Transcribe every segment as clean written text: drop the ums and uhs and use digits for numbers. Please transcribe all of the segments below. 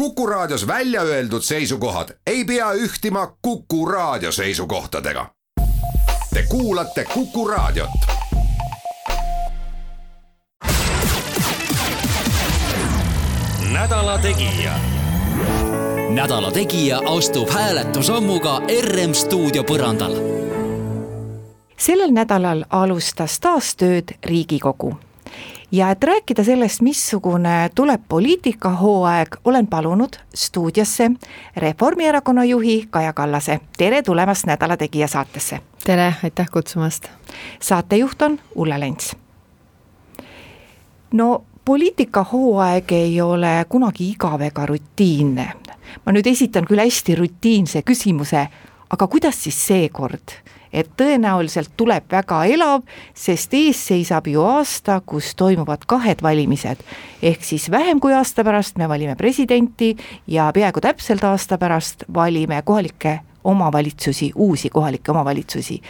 Kuku Raadios välja öeldud seisukohad ei pea ühtima Kuku Raadio seisukohtadega. Te kuulate Kuku Raadiot. Nädala Tegija. Nädala Tegija astub hääletusammuga RM stuudio põrandal. Sellel nädalal alustas taas tööd Riigikogu. Ja et rääkida sellest, missugune tuleb poliitikahooaeg, olen palunud stuudiosse Reformierakonna juhi Kaja Kallase. Tere tulemast Nädala Tegija saatesse. Tere, aitäh kutsumast. Saatejuht on Ulla Lents. No poliitikahooaeg ei ole kunagi igav ega rutiinne. Ma nüüd esitan küll hästi rutiinse küsimuse, aga kuidas siis seekord? Et tõenäoliselt tuleb väga elav, sest ees seisab ju aasta, kus toimuvad 2 valimised. Ehk siis vähem kui aasta pärast me valime presidenti ja peaaegu täpselt aasta pärast valime kohalikke omavalitsusi, uusi kohalikke omavalitsusi.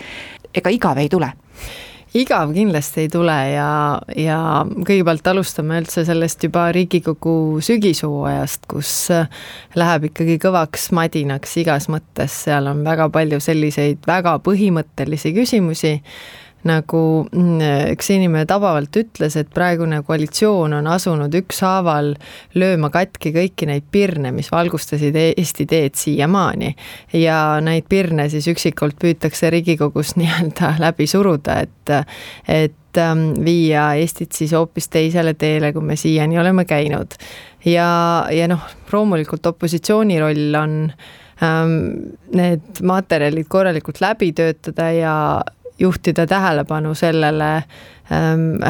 Ega igav ei tule? Igav kindlasti ei tule ja kõigepealt alustame üldse sellest juba Riigikogu sügishooajast, kus läheb ikkagi kõvaks madinaks igas mõttes. Seal on väga palju selliseid väga põhimõttelisi küsimusi, nagu üks inimene tabavalt ütles, et praegune koalitsioon on asunud ükshaaval lööma katki kõiki neid pirne, mis valgustasid Eesti teed siiamaani. Ja neid pirne siis üksikult püütakse Riigikogus nii-öelda läbi suruda, et viia Eestit siis hoopis teisele teele, kui me siiani oleme käinud. Ja loomulikult opositsiooni roll on need materjalid korralikult läbi töötada ja juhtida tähelepanu sellele,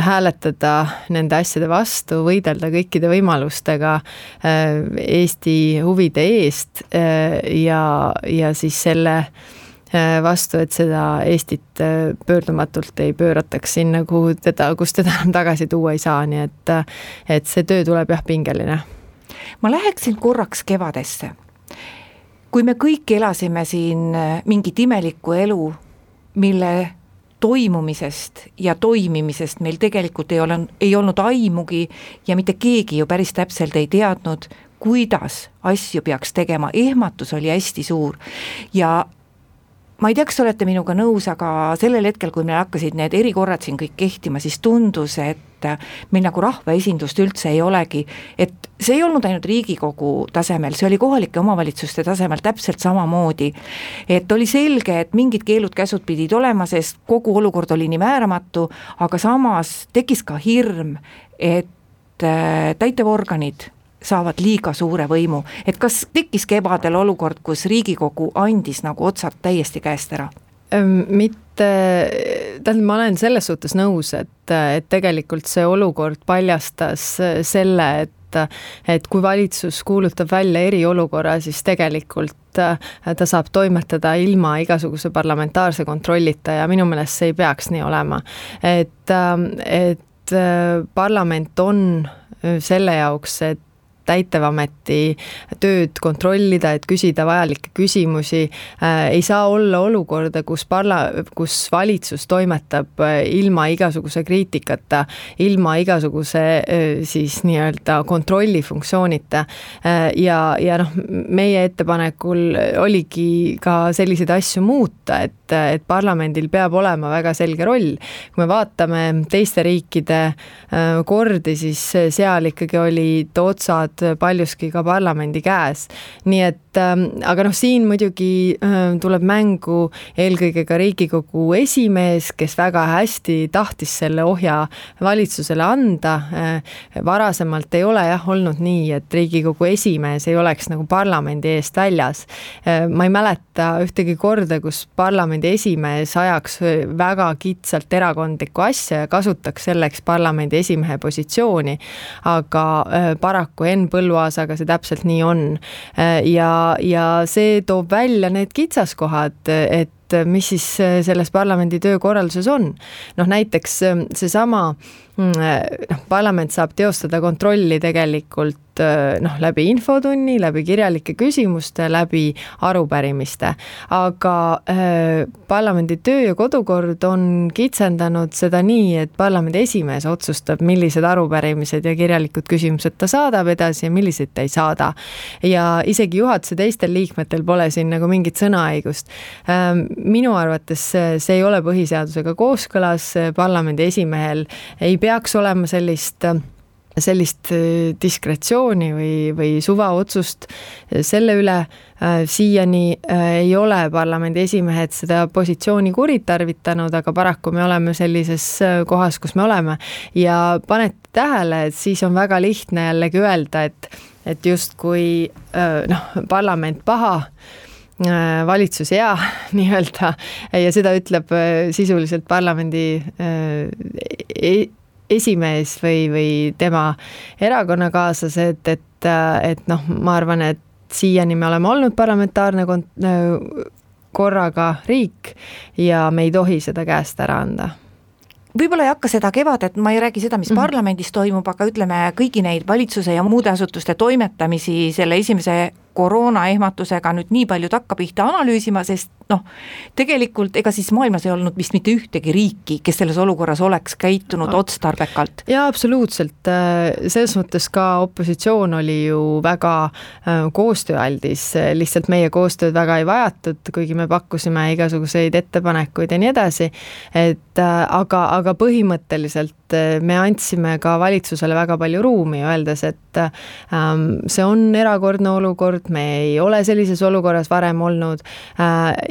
hääletada nende asjade vastu, võidelda kõikide võimalustega Eesti huvide eest ja siis selle vastu, et seda Eestit pöördumatult ei pöörataks sinna, kus teda tagasi tuua ei saa, nii et see töö tuleb pingeline. Ma läheksin korraks kevadesse. Kui me kõik elasime siin mingit imelikku elu, mille toimumisest ja toimimisest meil tegelikult ei olnud aimugi ja mitte keegi ju päris täpselt ei teadnud, kuidas asju peaks tegema. Ehmatus oli hästi suur ja ma ei tea, kas olete minuga nõus, aga sellel hetkel, kui meil hakkasid need erikorrad siin kõik kehtima, siis tundus, et meil nagu rahvaesindust üldse ei olegi, et see ei olnud ainult Riigikogu tasemel, see oli kohalike omavalitsuste tasemel täpselt samamoodi, et oli selge, et mingid keelud-käsud pidid olema, sest kogu olukord oli nii määramatu, aga samas tekkis ka hirm, et täitevorganid saavad liiga suure võimu. Et kas tekkis kevadel olukord, kus Riigikogu andis nagu otsad täiesti käest ära? Ma olen selles suhtes nõus, et tegelikult see olukord paljastas selle, et kui valitsus kuulutab välja eriolukorra, siis tegelikult ta saab toimetada ilma igasuguse parlamentaarse kontrollita ja minu meelest see ei peaks nii olema. Et parlament on selle jaoks, et täitevameti tööd kontrollida, et küsida vajalikke küsimusi. Ei saa olla olukorda, kus valitsus toimetab ilma igasuguse kriitikata, ilma igasuguse siis nii-öelda kontrollifunktsioonita. Ja meie ettepanekul oligi ka selliseid asju muuta, et parlamendil peab olema väga selge roll. Kui me vaatame teiste riikide kordi, siis seal ikkagi olid otsad paljuski ka parlamendi käes. Nii et, aga siin muidugi tuleb mängu eelkõige ka Riigikogu esimees, kes väga hästi tahtis selle ohja valitsusele anda. Varasemalt ei ole olnud nii, et Riigikogu esimees ei oleks nagu parlamendi eest väljas. Ma ei mäleta ühtegi korda, kus parlamendi esimees ajaks väga kitsalt erakondlikku asja ja kasutaks selleks parlamendi esimehe positsiooni, aga paraku Põlluaasaga see täpselt nii on. Ja see toob välja need kitsaskohad, et mis siis selles parlamendi töökorralduses on. Näiteks seesama parlament saab teostada kontrolli tegelikult läbi infotunni, läbi kirjalike küsimuste, läbi arupärimiste. Aga parlamendi töö ja kodukord on kitsendanud seda nii, et parlamendi esimees otsustab, millised arupärimised ja kirjalikud küsimused ta saadab edasi ja millised ta ei saada. Ja isegi juhatuse teistel liikmetel pole siin nagu mingit sõnaõigust. Minu arvates see ei ole põhiseadusega kooskõlas, parlamendi esimehel ei peaks olema sellist diskretsiooni või suvaotsust selle üle. Siiani ei ole parlamendi esimehed seda positsiooni kuritarvitanud, aga paraku me oleme sellises kohas, kus me oleme. Ja panete tähele, et siis on väga lihtne jällegi öelda, et just kui parlament paha, valitsus hea nii-öelda ja seda ütleb sisuliselt parlamendi esimees või tema erakonnakaaslased, et ma arvan, et siiani me oleme olnud parlamentaarne korraga riik ja me ei tohi seda käest ära anda. Võib-olla ei hakka seda kevadet, ma ei räägi seda, mis parlamendis toimub, aga ütleme kõigi neid valitsuse ja muude asutuste toimetamisi selle esimese koroonaehmatusega nüüd nii palju takkapihta analüüsima, sest tegelikult ega siis maailmas ei olnud vist mitte ühtegi riiki, kes selles olukorras oleks käitunud otstarbekalt. Ja absoluutselt, selles mõttes ka opositsioon oli ju väga koostööaldis, lihtsalt meie koostööd väga ei vajatud, kuigi me pakkusime igasuguseid ettepanekuid ja nii edasi, aga põhimõtteliselt me andsime ka valitsusele väga palju ruumi, öeldes, et see on erakordne olukord, me ei ole sellises olukorras varem olnud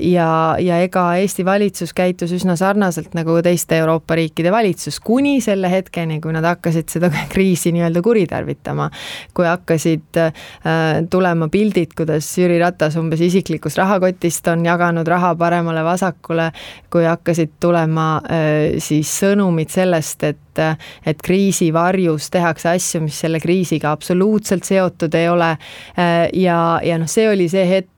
ja ega Eesti valitsus käitus üsna sarnaselt nagu teiste Euroopa riikide valitsus, kuni selle hetkeni, kui nad hakkasid seda kriisi nii-öelda kuritarvitama. Kui hakkasid tulema pildid, kuidas Jüri Ratas umbes isiklikus rahakotist on jaganud raha paremale vasakule, kui hakkasid tulema siis sõnumid sellest, et kriisi varjus tehakse asju, mis selle kriisiga absoluutselt seotud ei ole ja see oli see hetk,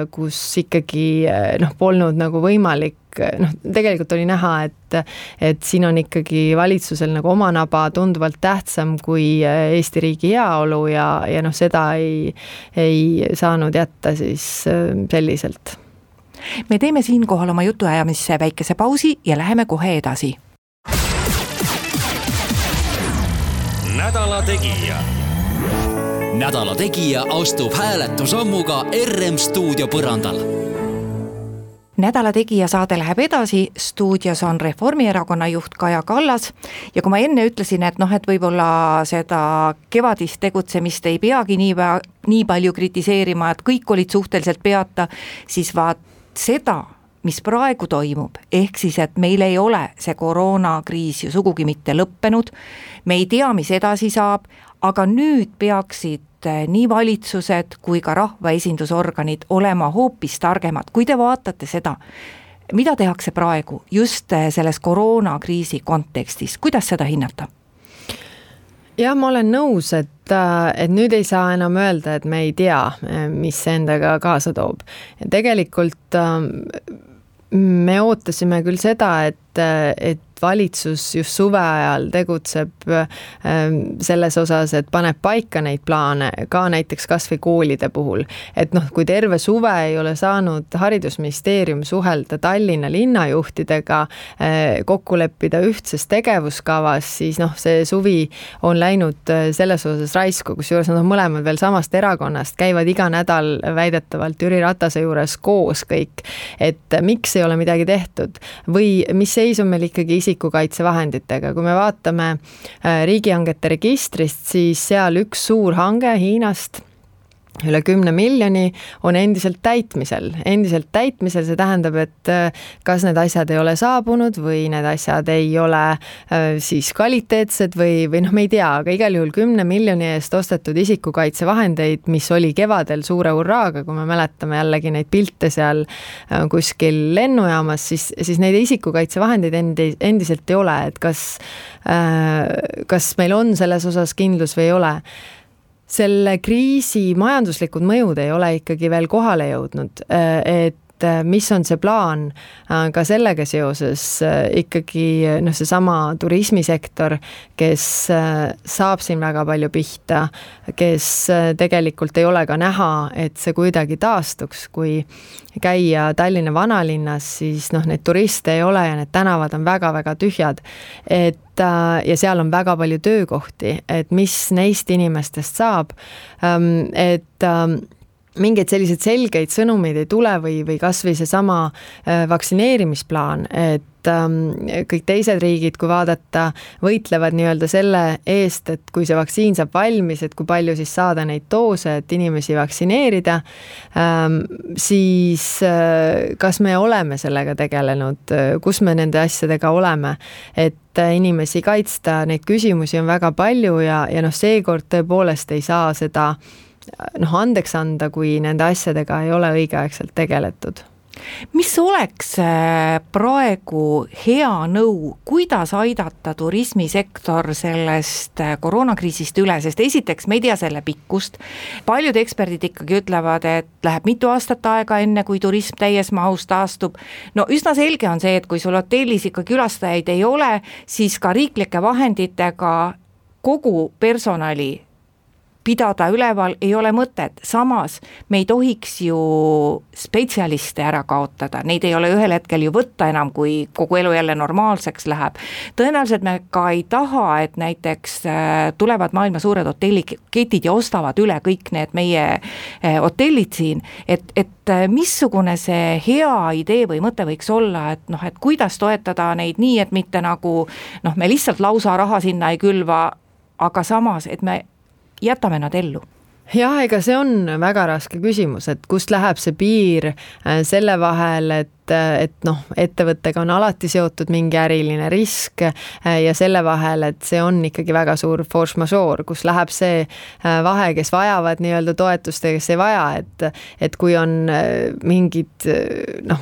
kus ikkagi polnud nagu võimalik, tegelikult oli näha, et siin on ikkagi valitsusel nagu oma naba tunduvalt tähtsam kui Eesti riigi heaolu ja seda ei saanud jätta siis selliselt. Me teeme siinkohal oma jutuajamisse väikese pausi ja läheme kohe edasi. Nädala Tegija. Nädala Tegija astub hääletusammuga RM stuudio põrandal. Nädala Tegija saade läheb edasi, stuudios on Reformierakonna juht Kaja Kallas ja kui ma enne ütlesin, et võib-olla seda kevadist tegutsemist ei peagi nii palju kritiseerima, et kõik olid suhteliselt peata, siis vaat seda, mis praegu toimub, ehk siis, et meil ei ole see koroonakriis ju sugugi mitte lõppenud, me ei tea, mis edasi saab, aga nüüd peaksid nii valitsused kui ka rahvaesindusorganid olema hoopis targemad. Kui te vaatate seda, mida tehakse praegu just selles koroonakriisi kontekstis, kuidas seda hinnata? Ja ma olen nõus, et nüüd ei saa enam öelda, et me ei tea, mis endaga kaasa toob. Ja tegelikult me ootasime küll seda, et valitsus just suve ajal tegutseb selles osas, et paneb paika neid plaane ka näiteks kas või koolide puhul. Et kui terve suve ei ole saanud haridusministeerium suhelda Tallinna linnajuhtidega, kokku leppida ühtses tegevuskavas, siis see suvi on läinud selles osas raisku, kusjuures nad on mõlemad veel samast erakonnast, käivad iga nädal väidetavalt Jüri Ratase juures koos kõik, et miks ei ole midagi tehtud või mis seis on meil ikkagi isikukaitsevahenditega. Kui me vaatame riigihangete registrist, siis seal üks suur hange Hiinast üle 10 miljoni on endiselt täitmisel. Endiselt täitmisel, see tähendab, et kas need asjad ei ole saabunud või need asjad ei ole siis kvaliteetsed või me ei tea, aga igal juhul 10 miljoni eest ostetud isikukaitsevahendeid, mis oli kevadel suure hurraaga, kui me mäletame jällegi neid pilte seal kuskil lennujaamas, siis neid isikukaitsevahendeid endiselt ei ole, et kas meil on selles osas kindlus või ei ole. Selle kriisi majanduslikud mõjud ei ole ikkagi veel kohale jõudnud, et mis on see plaan ka sellega seoses ikkagi seesama turismisektor, kes saab siin väga palju pihta, kes tegelikult ei ole ka näha, et see kuidagi taastuks, kui käia Tallinna vanalinnas, siis neid turiste ei ole ja need tänavad on väga-väga tühjad, ja seal on väga palju töökohti, et mis neist inimestest saab, et mingeid selliseid selgeid sõnumeid ei tule või kas või seesama vaktsineerimisplaan, et kõik teised riigid, kui vaadata, võitlevad nii-öelda selle eest, et kui see vaktsiin saab valmis, et kui palju siis saada neid doose, et inimesi vaktsineerida, siis kas me oleme sellega tegelenud, kus me nende asjadega oleme, et inimesi kaitsta, neid küsimusi on väga palju ja seekord tõepoolest ei saa seda andeks anda, kui nende asjadega ei ole õigeaegselt tegeletud. Mis oleks praegu hea nõu, kuidas aidata turismisektor sellest koroonakriisist üle, sest esiteks me ei tea selle pikkust. Paljud eksperdid ikkagi ütlevad, et läheb mitu aastat aega enne, kui turism täies mahus taastub. Üsna selge on see, et kui sul hotellis ikka külastajaid ei ole, siis ka riiklike vahenditega kogu personali pidada üleval ei ole mõtet. Samas me ei tohiks ju spetsialiste ära kaotada, neid ei ole ühel hetkel ju võtta enam, kui kogu elu jälle normaalseks läheb. Tõenäoliselt me ka ei taha, et näiteks tulevad maailma suured hotelliketid ja ostavad üle kõik need meie hotellid siin, et missugune see hea idee või mõte võiks olla, et kuidas toetada neid nii, et mitte nagu me lihtsalt lausa raha sinna ei külva, aga samas, et me jätame nad ellu. Jah, ega see on väga raske küsimus, et kust läheb see piir selle vahel, et ettevõttega on alati seotud mingi äriline risk ja selle vahel, et see on ikkagi väga suur force majeure, kus läheb see vahe, kes vajavad nii-öelda toetust ja kes ei vaja, et kui on mingid,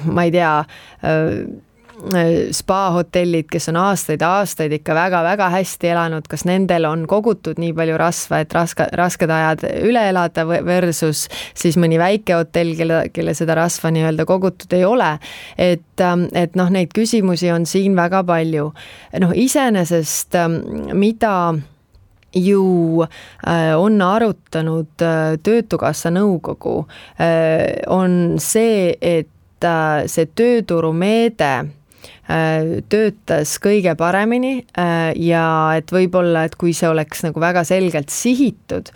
ma ei tea, spa-hotellid, kes on aastaid ikka väga-väga hästi elanud, kas nendel on kogutud nii palju rasva, et rasked ajad üle elada versus siis mõni väike hotell, kelle seda rasva nii-öelda kogutud ei ole. Et neid küsimusi on siin väga palju. Iseenesest, mida ju on arutanud Töötukassa nõukogu, on see, et see tööturumeede töötas kõige paremini ja et võib-olla, et kui see oleks nagu väga selgelt sihitud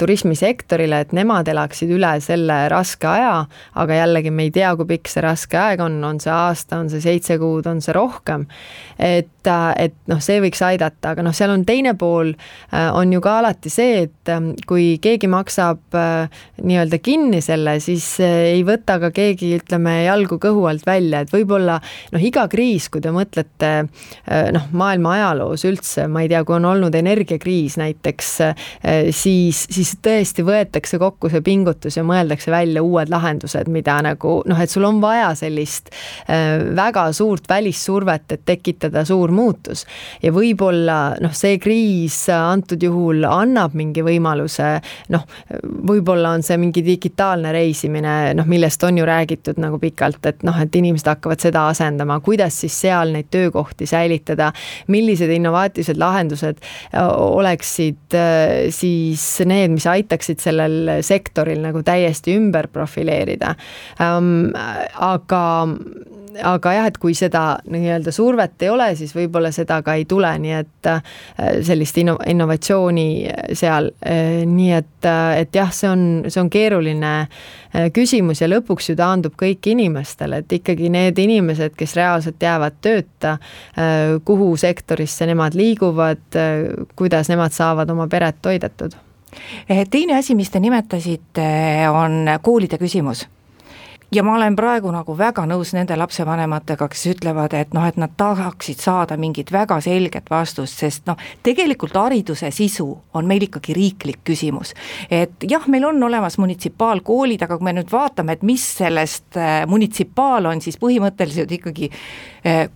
turismisektorile, et nemad elaksid üle selle raske aja, aga jällegi me ei tea, kui pikk see raske aeg on see aasta, on see 7 kuud, on see rohkem, et see võiks aidata, aga seal on teine pool, on ju ka alati see, et kui keegi maksab nii-öelda kinni selle, siis ei võta ka keegi, ütleme, jalgu kõhu alt välja, et võib-olla iga kriis, kui te mõtlete maailma ajaloos üldse, ma ei tea, kui on olnud energiakriis näiteks, siis tõesti võetakse kokku see pingutus ja mõeldakse välja uued lahendused, mida nagu, et sul on vaja sellist väga suurt välissurvet, et tekitada suur muutus. Ja võib-olla see kriis antud juhul annab mingi võimaluse, võib-olla on see mingi digitaalne reisimine, millest on ju räägitud nagu pikalt, et inimesed hakkavad seda asendama, kuidas siis seal neid töökohti säilitada, millised innovaatilised lahendused oleksid siis need, mis aitaksid sellel sektoril nagu täiesti ümber profileerida. Aga jah, et kui seda nii-öelda survet ei ole, siis võib-olla seda ka ei tule, nii et sellist innovatsiooni seal, nii et jah, see on keeruline küsimus ja lõpuks ju taandub kõik inimestele, et ikkagi need inimesed, kes reaalselt jäävad tööta, kuhu sektorisse nemad liiguvad, kuidas nemad saavad oma peret toidetud. Teine asi, mis te nimetasite, on koolide küsimus. Ja ma olen praegu nagu väga nõus nende lapsevanematega, kes ütlevad, et nad tahaksid saada mingit väga selget vastust, sest tegelikult hariduse sisu on meil ikkagi riiklik küsimus. Et jah, meil on olemas munitsipaalkoolid, aga kui me nüüd vaatame, et mis sellest munitsipaal on, siis põhimõtteliselt ikkagi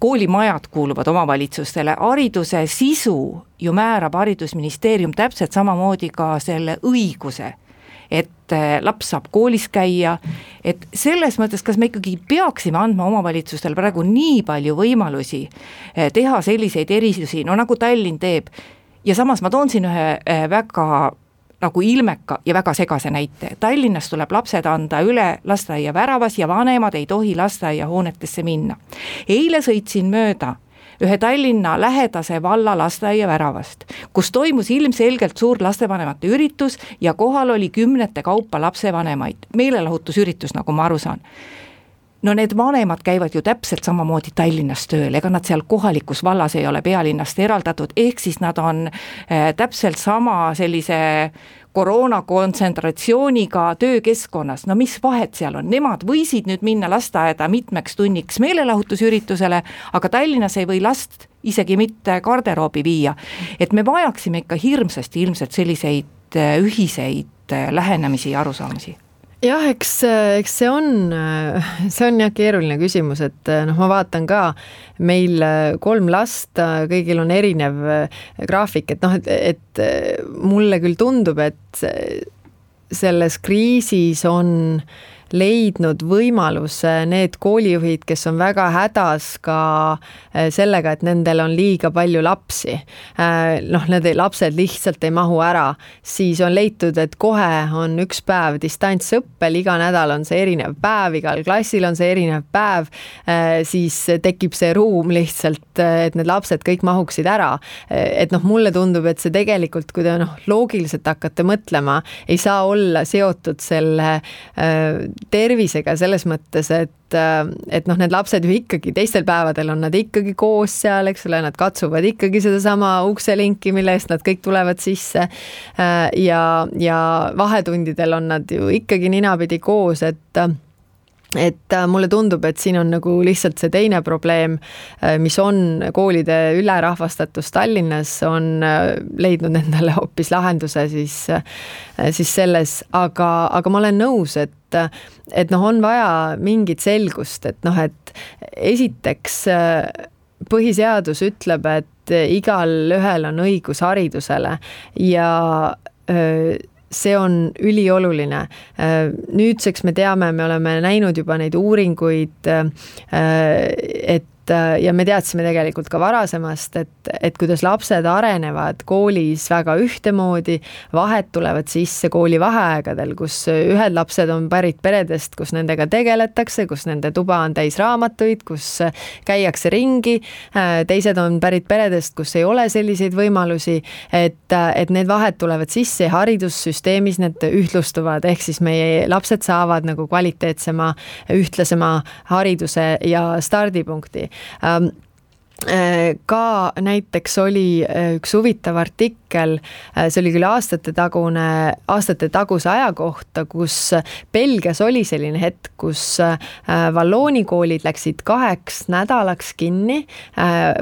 koolimajad kuuluvad omavalitsustele. Hariduse sisu ju määrab haridusministeerium täpselt samamoodi ka selle õiguse, et laps saab koolis käia, et selles mõttes, kas me ikkagi peaksime andma omavalitsustele praegu nii palju võimalusi teha selliseid erisusi, no nagu Tallinn teeb, ja samas ma toon siin ühe väga nagu ilmeka ja väga segase näite. Tallinnas tuleb lapsed anda üle lasteaia väravas ja vanemad ei tohi lasteaia hoonetesse minna. Eile sõitsin mööda ühe Tallinna lähedase valla lasteaia väravast, kus toimus ilmselgelt suur lastevanemate üritus ja kohal oli 10 kaupa lapsevanemaid. Meelelahutusüritus, nagu ma aru saan. No need vanemad käivad ju täpselt samamoodi Tallinnas tööl, ega nad seal kohalikus vallas ei ole pealinnast eraldatud, ehk siis nad on täpselt sama sellise koroona kontsentratsiooniga töökeskkonnas, no mis vahet seal on, nemad võisid nüüd minna lasteaeda mitmeks tunniks meelelahutusüritusele, aga Tallinnas ei või last isegi mitte garderoobi viia, et me vajaksime ikka hirmsasti ilmselt selliseid ühiseid lähenemisi ja arusaamusi. Jah, eks see on jah keeruline küsimus, et noh, ma vaatan ka, meil 3 last, kõigil on erinev graafik, et noh, et mulle küll tundub, et selles kriisis on leidnud võimaluse need koolijuhid, kes on väga hädas ka sellega, et nendel on liiga palju lapsi. Noh, need lapsed lihtsalt ei mahu ära, siis on leitud, et kohe on üks päev distantsõppel, iga nädal on see erinev päev, igal klassil on see erinev päev, siis tekib see ruum lihtsalt, et need lapsed kõik mahuksid ära. Et noh, mulle tundub, et see tegelikult, kui te loogiliselt hakkate mõtlema, ei saa olla seotud selle tervisega selles mõttes, et noh, need lapsed ju ikkagi teistel päevadel on nad ikkagi koos seal, eks ole, nad katsuvad ikkagi seda sama ukselinki, mille eest nad kõik tulevad sisse ja vahetundidel on nad ju ikkagi ninapidi koos, et mulle tundub, et siin on nagu lihtsalt see teine probleem, mis on koolide ülerahvastatus Tallinnas, on leidnud endale hoopis lahenduse siis selles, aga ma olen nõus, et noh, on vaja mingit selgust, et noh, et esiteks põhiseadus ütleb, et igal ühel on õigus haridusele ja see on ülioluline. Nüüdseks me teame, me oleme näinud juba neid uuringuid, ja me teadsime tegelikult ka varasemast, et kuidas lapsed arenevad koolis väga ühtemoodi, vahed tulevad sisse kooli vaheaegadel, kus ühed lapsed on pärit peredest, kus nendega tegeletakse, kus nende tuba on täis raamatuid, kus käiakse ringi, teised on pärit peredest, kus ei ole selliseid võimalusi, et need vahed tulevad sisse ja haridussüsteemis need ühtlustuvad, ehk siis meie lapsed saavad nagu kvaliteetsema, ühtlasema hariduse ja stardipunkti. Ka näiteks oli üks huvitav artikkel, see oli küll aastate taguse aja kohta, kus Belgias oli selline hetk, kus Vallooni koolid läksid 2 nädalaks kinni,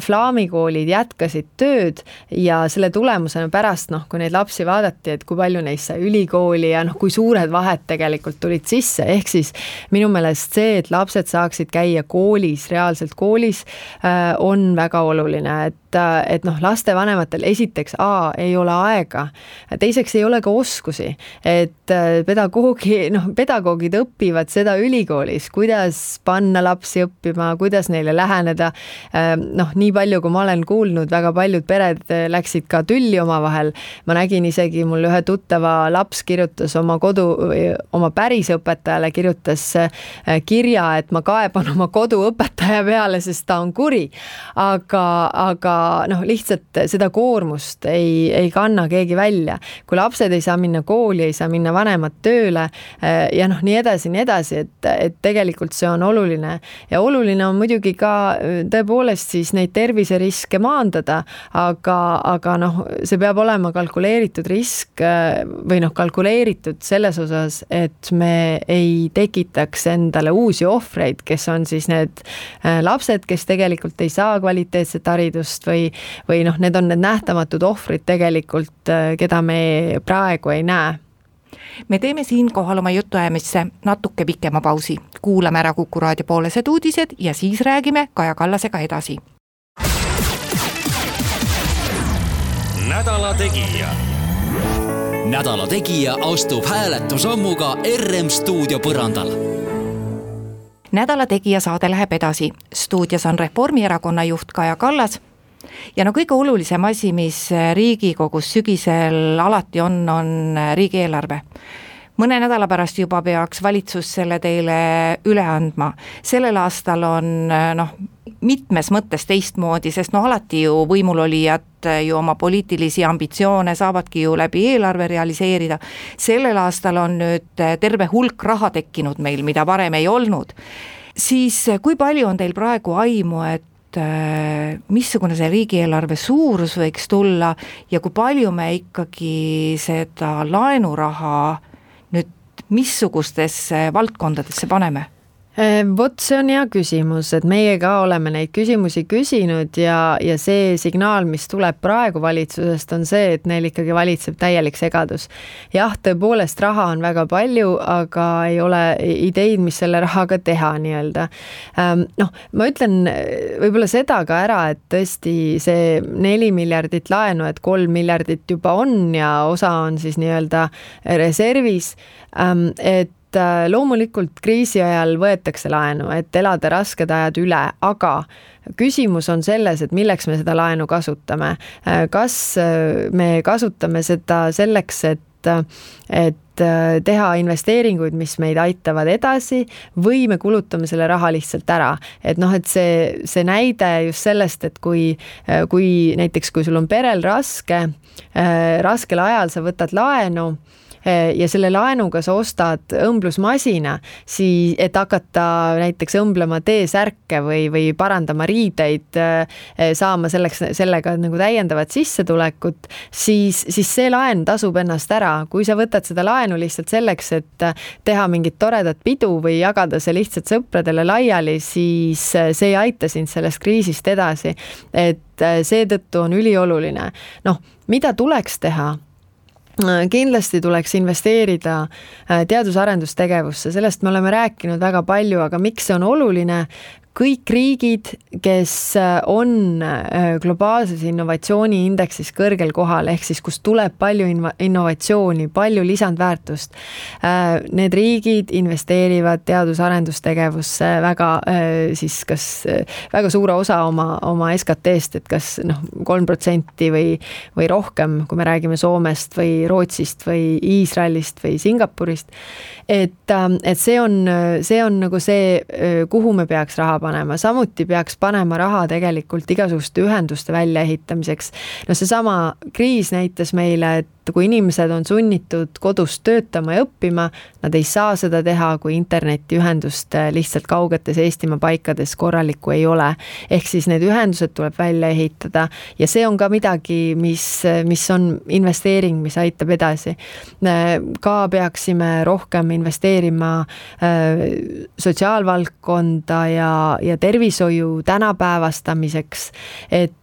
Flaami koolid jätkasid tööd ja selle tulemusena pärast, kui neid lapsi vaadati, et kui palju neist sai ülikooli ja kui suured vahed tegelikult tulid sisse, ehk siis minu meelest see, et lapsed saaksid käia koolis, reaalselt koolis, on väga oluline, et lastevanematel esiteks ei ole aega, teiseks ei ole ka oskusi, et pedagoogid õpivad seda ülikoolis, kuidas panna lapsi õppima, kuidas neile läheneda, nii palju, kui ma olen kuulnud, väga paljud pered läksid ka tülli omavahel, ma nägin isegi, mul ühe tuttava laps kirjutas oma pärisõpetajale, kirjutas kirja, et ma kaeban oma koduõpetaja peale, sest ta on kuri, aga lihtsalt seda koormust ei kanna keegi välja. Kui lapsed ei saa minna kooli, ei saa minna vanemad tööle ja nii edasi, et tegelikult see on oluline. Ja oluline on muidugi ka tõepoolest siis neid terviseriske maandada, aga see peab olema kalkuleeritud risk või kalkuleeritud selles osas, et me ei tekitaks endale uusi ohvreid, kes on siis need lapsed, kes tegelikult ei saa kvaliteetset haridust või need on need nähtamatud ohvrid tegelikult, keda me praegu ei näe. Me teeme siinkohal oma jutuajamisse natuke pikema pausi. Kuulame ära Kuku Raadio poolesed uudised ja siis räägime Kaja Kallasega edasi. Nädala Tegija. Nädala tegija astub hääletusammuga RM stuudio põrandal. Nädala tegija saade läheb edasi. Stuudios on Reformierakonna juht Kaja Kallas. Ja kõige olulisem asi, mis Riigikogus sügisel alati on riigieelarve. Mõne nädala pärast juba peaks valitsus selle teile üle andma. Sellel aastal on mitmes mõttes teistmoodi, sest alati ju võimulolijad ju oma poliitilisi ambitsioone saavadki ju läbi eelarve realiseerida. Sellel aastal on nüüd terve hulk raha tekkinud meil, mida varem ei olnud. Siis kui palju on teil praegu aimu, et missugune see riigieelarve suurus võiks tulla ja kui palju me ikkagi seda laenuraha nüüd missugustesse valdkondadesse paneme? Vot see on hea küsimus, et meie ka oleme neid küsimusi küsinud ja see signaal, mis tuleb praegu valitsusest, on see, et neil ikkagi valitseb täielik segadus. Jah, tõepoolest raha on väga palju, aga ei ole ideid, mis selle rahaga teha nii-öelda. Ma ütlen võib-olla seda ka ära, et tõesti see 4 miljardit laenu, et 3 miljardit juba on ja osa on siis nii-öelda reservis, et loomulikult kriisi ajal võetakse laenu, et elada rasked ajad üle, aga küsimus on selles, et milleks me seda laenu kasutame. Kas me kasutame seda selleks, et teha investeeringuid, mis meid aitavad edasi või me kulutame selle raha lihtsalt ära. Et see näide just sellest, et kui näiteks, kui sul on perel raskel ajal sa võtad laenu, ja selle laenuga sa ostad õmblusmasina, et hakata näiteks õmblema T-särke või parandama riideid, saama sellega nagu täiendavat sissetulekut, siis see laen tasub ennast ära. Kui sa võtad seda laenu lihtsalt selleks, et teha mingit toredat pidu või jagada see lihtsalt sõpradele laiali, siis see ei aita sind sellest kriisist edasi. Et seetõttu on ülioluline. Mida tuleks teha? Kindlasti tuleks investeerida teadus-arendustegevusse, sellest me oleme rääkinud väga palju, aga miks see on oluline? Kõik riigid, kes on globaalses innovatsiooniindeksis kõrgel kohal, ehk siis kus tuleb palju innovatsiooni, palju lisandväärtust, need riigid investeerivad teadus-arendustegevusse väga suure osa oma SKT-st, et kas 3% või rohkem, kui me räägime Soomest või Rootsist või Iisraelist või Singapurist, et see on nagu see, kuhu me peaks raha panema. Samuti peaks panema raha tegelikult igasuguste ühenduste väljaehitamiseks. Seesama kriis näitas meile, et kui inimesed on sunnitud kodust töötama ja õppima, nad ei saa seda teha, kui internetiühendust lihtsalt kaugetes Eestimaa paikades korralikku ei ole. Ehk siis need ühendused tuleb välja ehitada ja see on ka midagi, mis on investeering, mis aitab edasi. Ka peaksime rohkem investeerima sotsiaalvaldkonda ja tervishoiu tänapäevastamiseks, et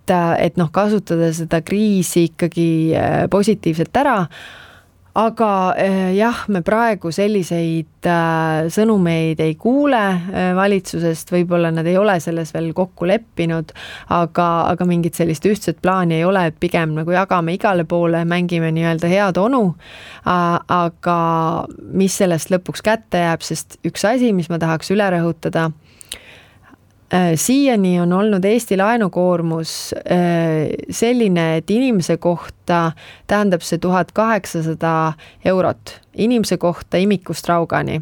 kasutada seda kriisi ikkagi positiivselt ära, aga jah, me praegu selliseid sõnumeid ei kuule valitsusest, võib-olla nad ei ole selles veel kokku leppinud, aga mingit sellist ühtset plaani ei ole, et pigem nagu jagame igale poole, mängime nii-öelda head onu, aga mis sellest lõpuks kätte jääb, sest üks asi, mis ma tahaks üle rõhutada, siiani on olnud Eesti laenukoormus selline, et inimese kohta tähendab see 1800 eurot. Inimese kohta imikust raugani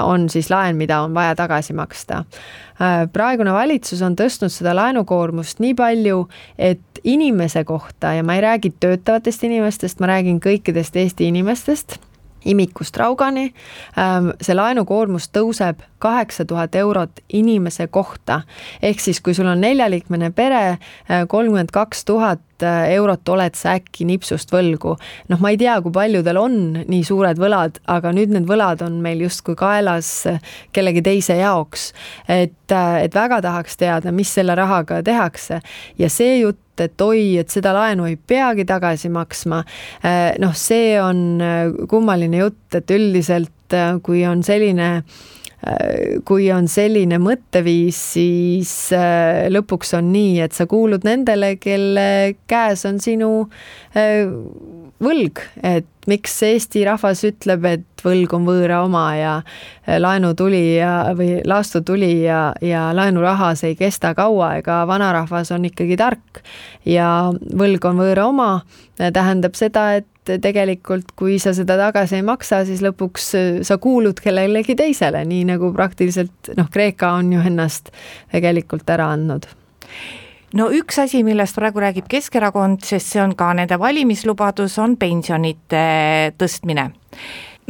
on siis laen, mida on vaja tagasi maksta. Praegune valitsus on tõstnud seda laenukoormust nii palju, et inimese kohta, ja ma ei räägi töötavatest inimestest, ma räägin kõikidest Eesti inimestest, imikust raugani, see laenukoormus tõuseb 8000 eurot inimese kohta. Ehk siis, kui sul on 4-liikmene pere, 32 000 eurot oled sa äkki nipsust võlgu. Ma ei tea, kui paljudel on nii suured võlad, aga nüüd need võlad on meil justkui kaelas kellegi teise jaoks. Et väga tahaks teada, mis selle rahaga tehakse. Ja see jutt, et seda laenu ei peagi tagasi maksma. See on kummaline jutt, et üldiselt, kui on selline mõtteviis, siis lõpuks on nii, et sa kuulud nendele, kelle käes on sinu võlg, et miks Eesti rahvas ütleb, et võlg on võõra oma ja laenutuli või laastutuli ja laenuraha see ei kesta kaua, ega vanarahvas on ikkagi tark ja võlg on võõra oma, tähendab seda, et tegelikult kui sa seda tagasi ei maksa, siis lõpuks sa kuulud kellelegi teisele, nii nagu praktiliselt Kreeka on ju ennast tegelikult ära andnud. No üks asi, millest praegu räägib Keskerakond, sest see on ka nende valimislubadus, on pensionite tõstmine.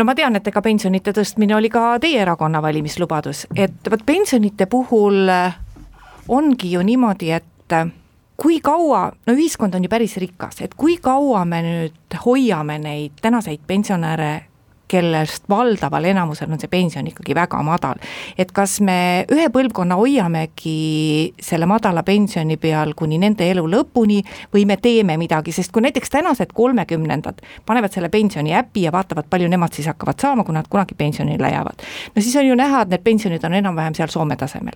No ma tean, et ega pensionite tõstmine oli ka teie erakonna valimislubadus, et pensionite puhul ongi ju niimoodi, et kui kaua, ühiskond on ju päris rikas, et kui kaua me nüüd hoiame neid tänaseid pensionäre, kellest valdaval enamusel on see pension ikkagi väga madal. Et kas me ühe põlvkonna hoiamegi selle madala pensioni peal kuni nende elu lõpuni või me teeme midagi, sest kui näiteks tänased 30-ndad panevad selle pensioni äppi ja vaatavad, palju nemad siis hakkavad saama, kui nad kunagi pensionile jäävad. No siis on ju näha, et need pensionid on enam-vähem seal Soome tasemel.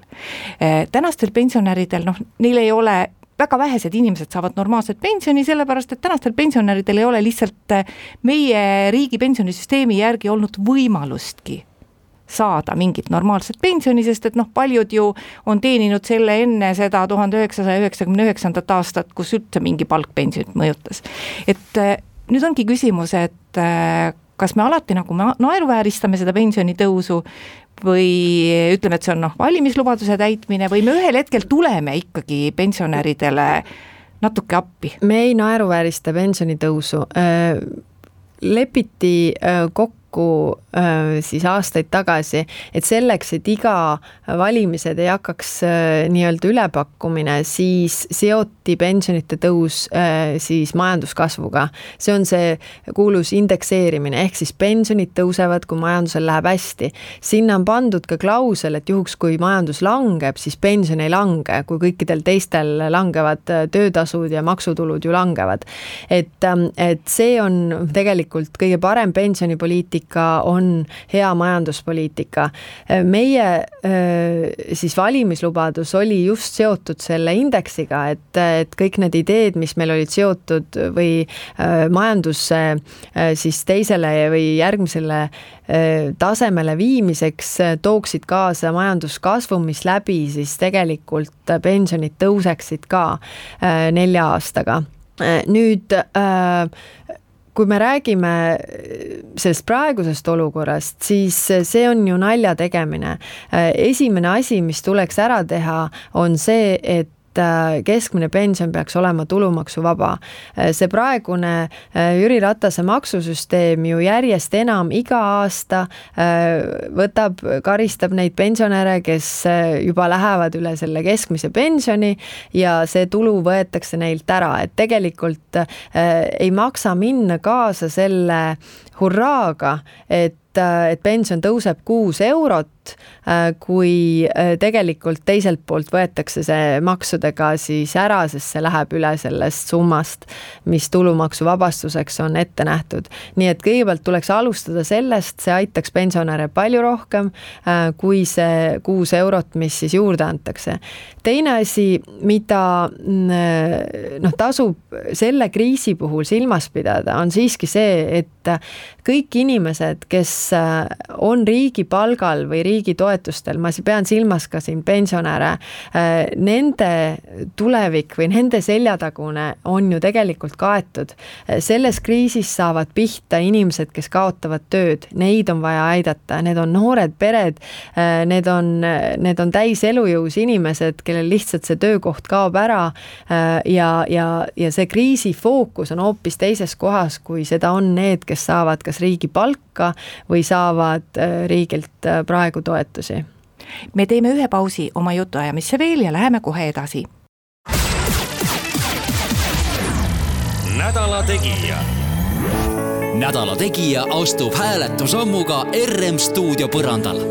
Tänastel pensionäridel, neil ei ole väga vähesed inimesed saavad normaalset pensioni, sellepärast, et tänastel pensionäridel ei ole lihtsalt meie riigi pensionisüsteemi järgi olnud võimalustki saada mingit normaalset pensioni, sest et paljud ju on teeninud selle enne seda 1999. aastat, kus üldse mingi palkpensionit mõjutas. Et nüüd ongi küsimus, et kas me alati nagu naeruvääristame seda pensionitõusu või ütleme, et see on valimislubaduse täitmine või me ühel hetkel tuleme ikkagi pensionäridele natuke appi? Me ei naeruväärista pensionitõusu. Lepiti kokku siis aastaid tagasi, et selleks, et iga valimised ei hakkaks nii-öelda ülepakkumine, siis seoti pensionite tõus siis majanduskasvuga. See on see kuulus indekseerimine, ehk siis pensionid tõusevad, kui majandusel läheb hästi. Sinna on pandud ka klausel, et juhuks, kui majandus langeb, siis pension ei lange, kui kõikidel teistel langevad töötasud ja maksutulud ju langevad. Et see on tegelikult kõige parem pensionipoliitika, on hea majanduspoliitika. Meie siis valimislubadus oli just seotud selle indeksiga, et kõik need ideed, mis meil olid seotud või majandusse siis teisele või järgmisele tasemele viimiseks tooksid kaasa majanduskasvu, mis läbi siis tegelikult pensionid tõuseksid ka 4 aastaga. Nüüd kui me räägime sellest praegusest olukorrast, siis see on ju nalja tegemine. Esimene asi, mis tuleks ära teha, on see, et keskmine pension peaks olema tulumaksuvaba. See praegune Jüri Ratase maksusüsteem ju järjest enam iga aasta karistab neid pensionäre, kes juba lähevad üle selle keskmise pensioni ja see tulu võetakse neilt ära. Et tegelikult ei maksa minna kaasa selle hurraaga, et pension tõuseb 6 eurot, kui tegelikult teiselt poolt võetakse see maksudega siis ära, sest see läheb üle sellest summast, mis tulumaksuvabastuseks on ette nähtud. Nii et kõigepealt tuleks alustada sellest, see aitaks pensionäre palju rohkem kui see 6 eurot, mis siis juurde antakse. Teine asi, mida tasub selle kriisi puhul silmas pidada, on siiski see, et kõik inimesed, kes on riigi palgal või riigi toetustel, ma pean silmas ka siin pensionäre, nende tulevik või nende seljatagune on ju tegelikult kaetud. Selles kriisis saavad pihta inimesed, kes kaotavad tööd, neid on vaja aidata, need on noored pered, need on täis elujõus inimesed, kellel lihtsalt see töökoht kaob ära ja see kriisi fookus on hoopis teises kohas, kui seda on need, kes saavad kas riigi palka või saavad riigilt praegu toetusi. Me teeme ühe pausi oma jutuajamisse veel ja läheme kohe edasi. Nädala Tegija. Nädala Tegija astub hääletusammuga RM stuudio põrandal.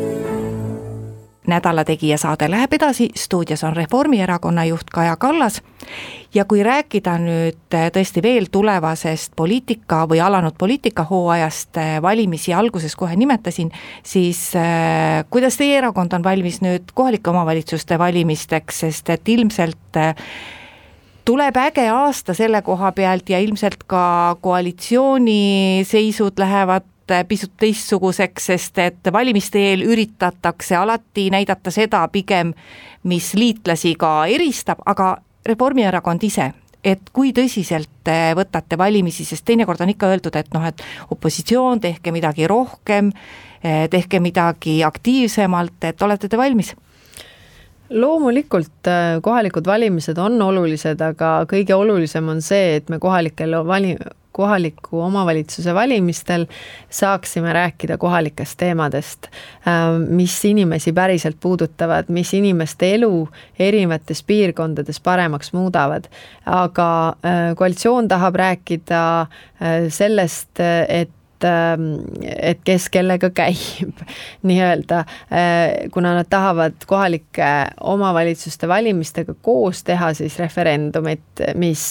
Nädala Tegija saade läheb edasi, stuudios on Reformierakonna juht Kaja Kallas ja kui rääkida nüüd tõesti veel tulevasest poliitika või alanud poliitikahooajast, valimisi alguses kohe nimetasin, siis kuidas teie erakond on valmis nüüd kohalike omavalitsuste valimisteks, sest et ilmselt tuleb äge aasta selle koha pealt ja ilmselt ka koalitsiooni seisud lähevad pisut teistsuguseks, sest et valimiste eel üritatakse alati näidata seda pigem, mis liitlasi ka eristab, aga Reformierakond ise, et kui tõsiselt võtate valimisi, sest teinekord on ikka öeldud, et noh, et opositsioon, tehke midagi rohkem, tehke midagi aktiivsemalt, et olete te valmis? Loomulikult kohalikud valimised on olulised, aga kõige olulisem on see, et me kohaliku omavalitsuse valimistel saaksime rääkida kohalikest teemadest, mis inimesi päriselt puudutavad, mis inimeste elu erinevates piirkondades paremaks muudavad. Aga koalitsioon tahab rääkida sellest, et kes kellega käib nii-öelda, kuna nad tahavad kohalike omavalitsuste valimistega koos teha siis referendumit, mis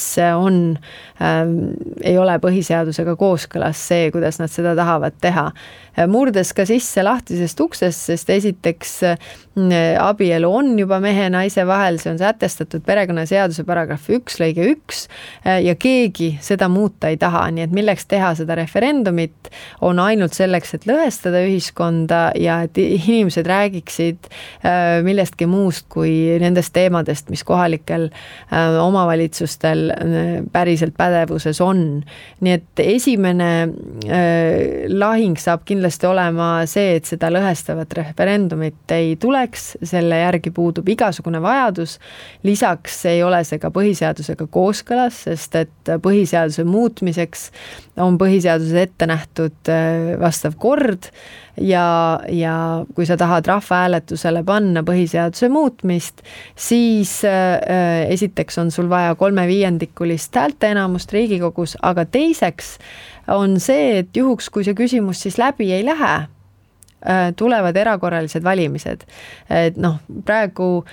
ei ole põhiseadusega kooskõlas see, kuidas nad seda tahavad teha. Murdes ka sisse lahtisest uksest, sest esiteks abielu on juba mehe ja naise vahel, see on sätestatud perekonnaseaduse paragrahv 1 lõige 1 ja keegi seda muuta ei taha, nii et milleks teha seda referendumit, on ainult selleks, et lõhestada ühiskonda ja et inimesed räägiksid millestki muust kui nendest teemadest, mis kohalikel omavalitsustel päriselt pädevuses on. Nii et esimene lahing saab kindlasti olema see, et seda lõhestavat referendumit ei tuleks, selle järgi puudub igasugune vajadus. Lisaks ei ole see ka põhiseadusega kooskõlas, sest et põhiseaduse muutmiseks on põhiseaduses ette nähtud vastav kord ja kui sa tahad rahvahääletusele panna põhiseaduse muutmist, siis esiteks on sul vaja 3/5 häälteenamust Riigikogus, aga teiseks on see, et juhuks, kui see küsimus siis läbi ei lähe, tulevad erakorralised valimised. Et praegu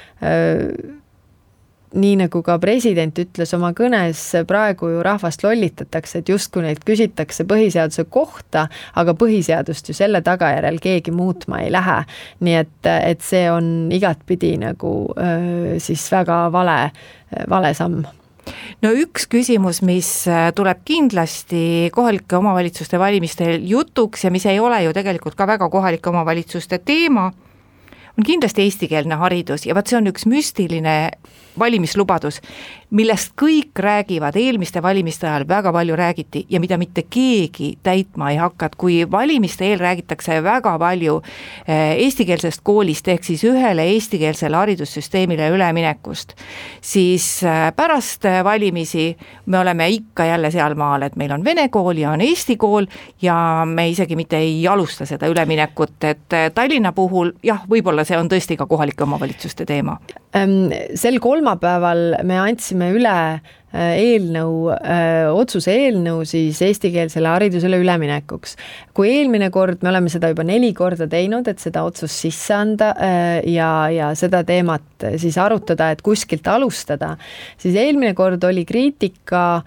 nii nagu ka president ütles oma kõnes, praegu ju rahvast lollitatakse, et justkui neid küsitakse põhiseaduse kohta, aga põhiseadust ju selle tagajärjel keegi muutma ei lähe. Nii et see on igatpidi nagu siis väga vale samm. No üks küsimus, mis tuleb kindlasti kohalike omavalitsuste valimistel jutuks ja mis ei ole ju tegelikult ka väga kohalike omavalitsuste teema, on kindlasti eestikeelne haridus ja see on üks müstiline valimislubadus, millest kõik räägivad, eelmiste valimiste ajal väga palju räägiti ja mida mitte keegi täitma ei hakka, kui valimiste eel räägitakse väga palju eestikeelsest koolist ehk siis ühele eestikeelsele haridussüsteemile üleminekust, siis pärast valimisi me oleme ikka jälle seal maal, et meil on vene kool ja on eesti kool ja me isegi mitte ei alusta seda üleminekut, et Tallinna puhul jah, võib-olla see on tõesti ka kohalike omavalitsuste teema. Sel kolmapäeval me andsime üle otsuse eelnõu siis eestikeelsele haridusele üleminekuks. Kui eelmine kord me oleme seda juba 4 korda teinud, et seda otsust sisse anda ja seda teemat siis arutada, et kuskilt alustada, siis eelmine kord oli kriitika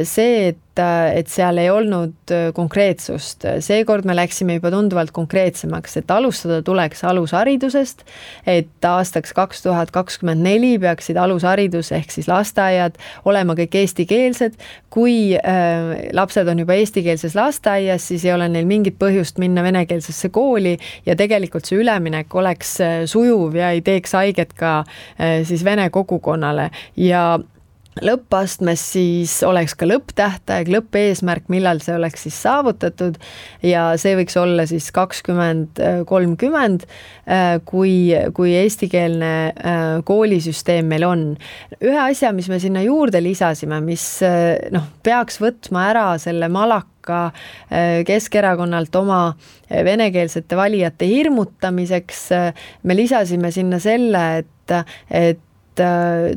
see, et seal ei olnud konkreetsust. Seekord me läksime juba tunduvalt konkreetsemaks, et alustada tuleks alusharidusest, et aastaks 2024 peaksid alusharidus ehk siis lasteaiad olema kõik eestikeelsed. Kui lapsed on juba eestikeelses lasteaias, siis ei ole neil mingit põhjust minna venekeelsesse kooli ja tegelikult see üleminek oleks sujuv ja ei teeks haiget ka siis vene kogukonnale ja lõppastmes siis oleks ka lõpptähtaeg, lõppeesmärk, millal see oleks siis saavutatud ja see võiks olla siis 2030, kui eestikeelne koolisüsteem meil on. Ühe asja, mis me sinna juurde lisasime, mis peaks võtma ära selle malaka Keskerakonnalt oma venekeelsete valijate hirmutamiseks, me lisasime sinna selle, et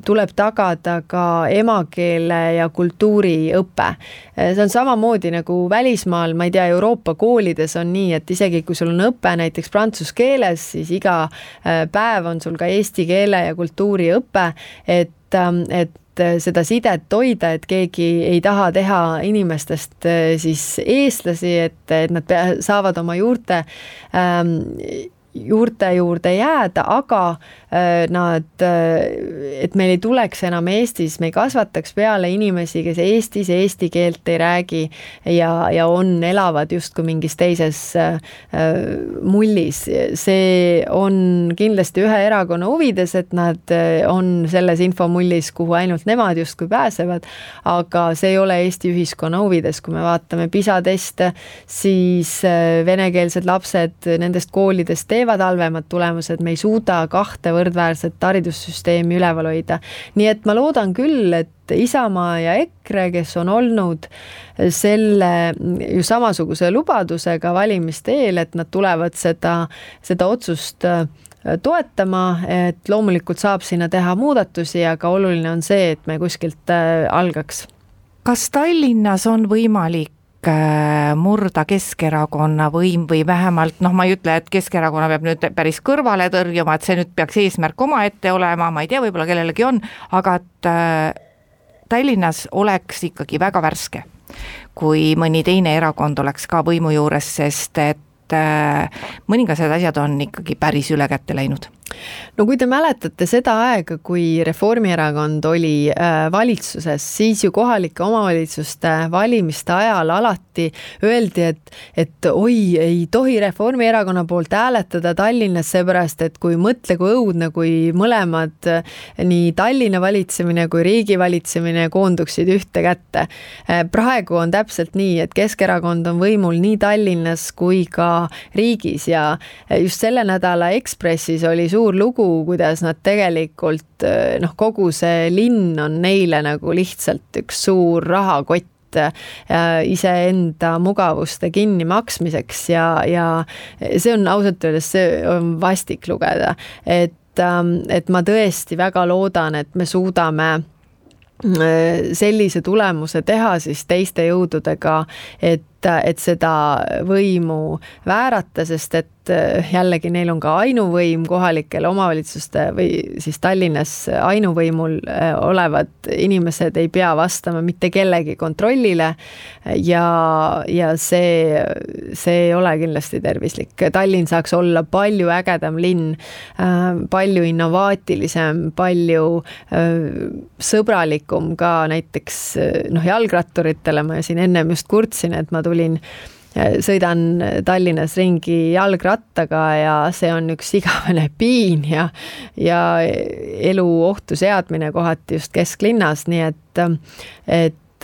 tuleb tagada ka emakeele ja kultuuriõpe. See on samamoodi nagu välismaal, ma ei tea, Euroopa koolides on nii, et isegi kui sul on õpe näiteks prantsuse keeles, siis iga päev on sul ka eesti keele ja kultuuriõpe, et seda sidet hoida, et keegi ei taha teha inimestest siis eestlasi, et nad saavad oma juurte juurde jääda, aga et meil ei tuleks enam Eestis, me ei kasvataks peale inimesi, kes Eestis eesti keelt ei räägi ja elavad justkui mingis teises mullis. See on kindlasti ühe erakonna huvides, et nad on selles infomullis, kuhu ainult nemad justkui pääsevad, aga see ei ole Eesti ühiskonna huvides. Kui me vaatame PISA-teste, siis venekeelsed lapsed nendest koolidest teevad halvemad tulemused, me ei suuda kahte võrdväärset haridussüsteemi üleval hoida. Nii et ma loodan küll, et Isamaa ja EKRE, kes on olnud selle ju samasuguse lubadusega valimiste eel, et nad tulevad seda otsust toetama, et loomulikult saab sinna teha muudatusi, aga oluline on see, et me kuskilt algaks. Kas Tallinnas on võimalik murda Keskerakonna võim või vähemalt, ma ei ütle, et Keskerakonna peab nüüd päris kõrvale tõrjuma, et see nüüd peaks eesmärk oma ette olema, ma ei tea, võib-olla kellelegi on, aga et Tallinnas oleks ikkagi väga värske, kui mõni teine erakond oleks ka võimu juures, sest et mõningased asjad on ikkagi päris üle kätte läinud. No kui te mäletate seda aega, kui Reformierakond oli valitsuses, siis ju kohalike omavalitsuste valimiste ajal alati öeldi, et oi, ei tohi Reformierakonna poolt hääletada Tallinnas, seepärast, et kui mõtle kui õudne, kui mõlemad nii Tallinna valitsemine kui riigi valitsemine koonduksid ühte kätte. Praegu on täpselt nii, et Keskerakond on võimul nii Tallinnas kui ka riigis ja just selle nädala Ekspressis oli suur lugu, kuidas nad tegelikult, kogu see linn on neile nagu lihtsalt üks suur rahakott iseenda mugavuste kinni maksmiseks ja see on ausalt öeldes, see on vastik lugeda, et ma tõesti väga loodan, et me suudame sellise tulemuse teha siis teiste jõududega, et seda võimu väärata, sest et jällegi neil on ka ainuvõim kohalikel omavalitsuste või siis Tallinnas ainuvõimul olevad inimesed ei pea vastama mitte kellegi kontrollile ja see ei ole kindlasti tervislik. Tallinn saaks olla palju ägedam linn, palju innovaatilisem, palju sõbralikum ka näiteks jalgratturitele. Ma siin ennem just kurtsin, et ma sõidan Tallinnas ringi jalgrattaga ja see on üks igavene piin ja elu ohtu seadmine kohati just kesklinnas, nii et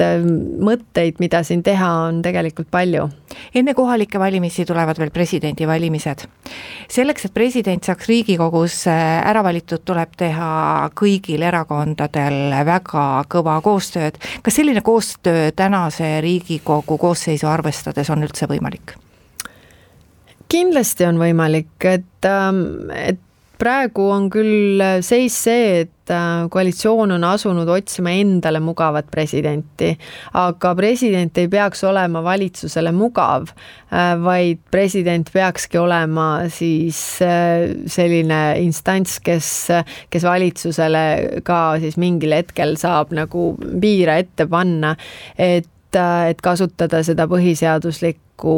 mõtteid, mida siin teha, on tegelikult palju. Enne kohalike valimisi tulevad veel presidendi valimised. Selleks, et president saaks Riigikogus ära valitud, tuleb teha kõigil erakondadel väga kõva koostööd. Kas selline koostöö tänase Riigikogu koosseisu arvestades on üldse võimalik? Kindlasti on võimalik, et praegu on küll seis see, et koalitsioon on asunud otsima endale mugavat presidenti, aga president ei peaks olema valitsusele mugav, vaid president peakski olema siis selline instants, kes valitsusele ka siis mingil hetkel saab nagu piira ette panna, et kasutada seda põhiseaduslikku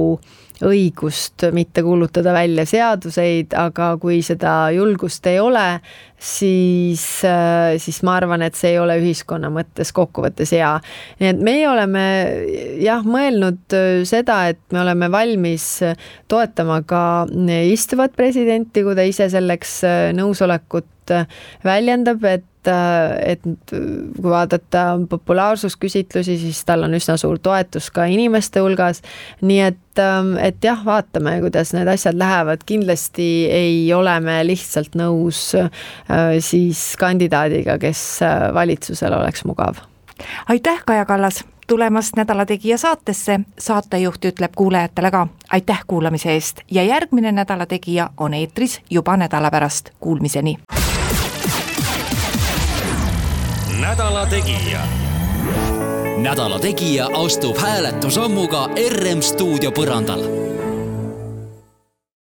õigust mitte kuulutada välja seaduseid, aga kui seda julgust ei ole, siis ma arvan, et see ei ole ühiskonna mõttes kokkuvõttes hea. Nii et meie oleme mõelnud seda, et me oleme valmis toetama ka istuvat presidenti, kui ta ise selleks nõusolekut väljendab, et kui vaadata populaarsusküsitlusi, siis tal on üsna suur toetus ka inimeste hulgas, nii et vaatame, kuidas need asjad lähevad. Kindlasti ei ole me lihtsalt nõus siis kandidaadiga, kes valitsusel oleks mugav. Aitäh, Kaja Kallas, tulemast Nädala Tegija saatesse. Saatejuht ütleb kuulajatele ka aitäh kuulamise eest ja järgmine Nädala Tegija on eetris juba nädala pärast. Kuulmiseni! Nädala Tegija. Nädala Tegija astub hääletusammuga RM stuudio põrandal.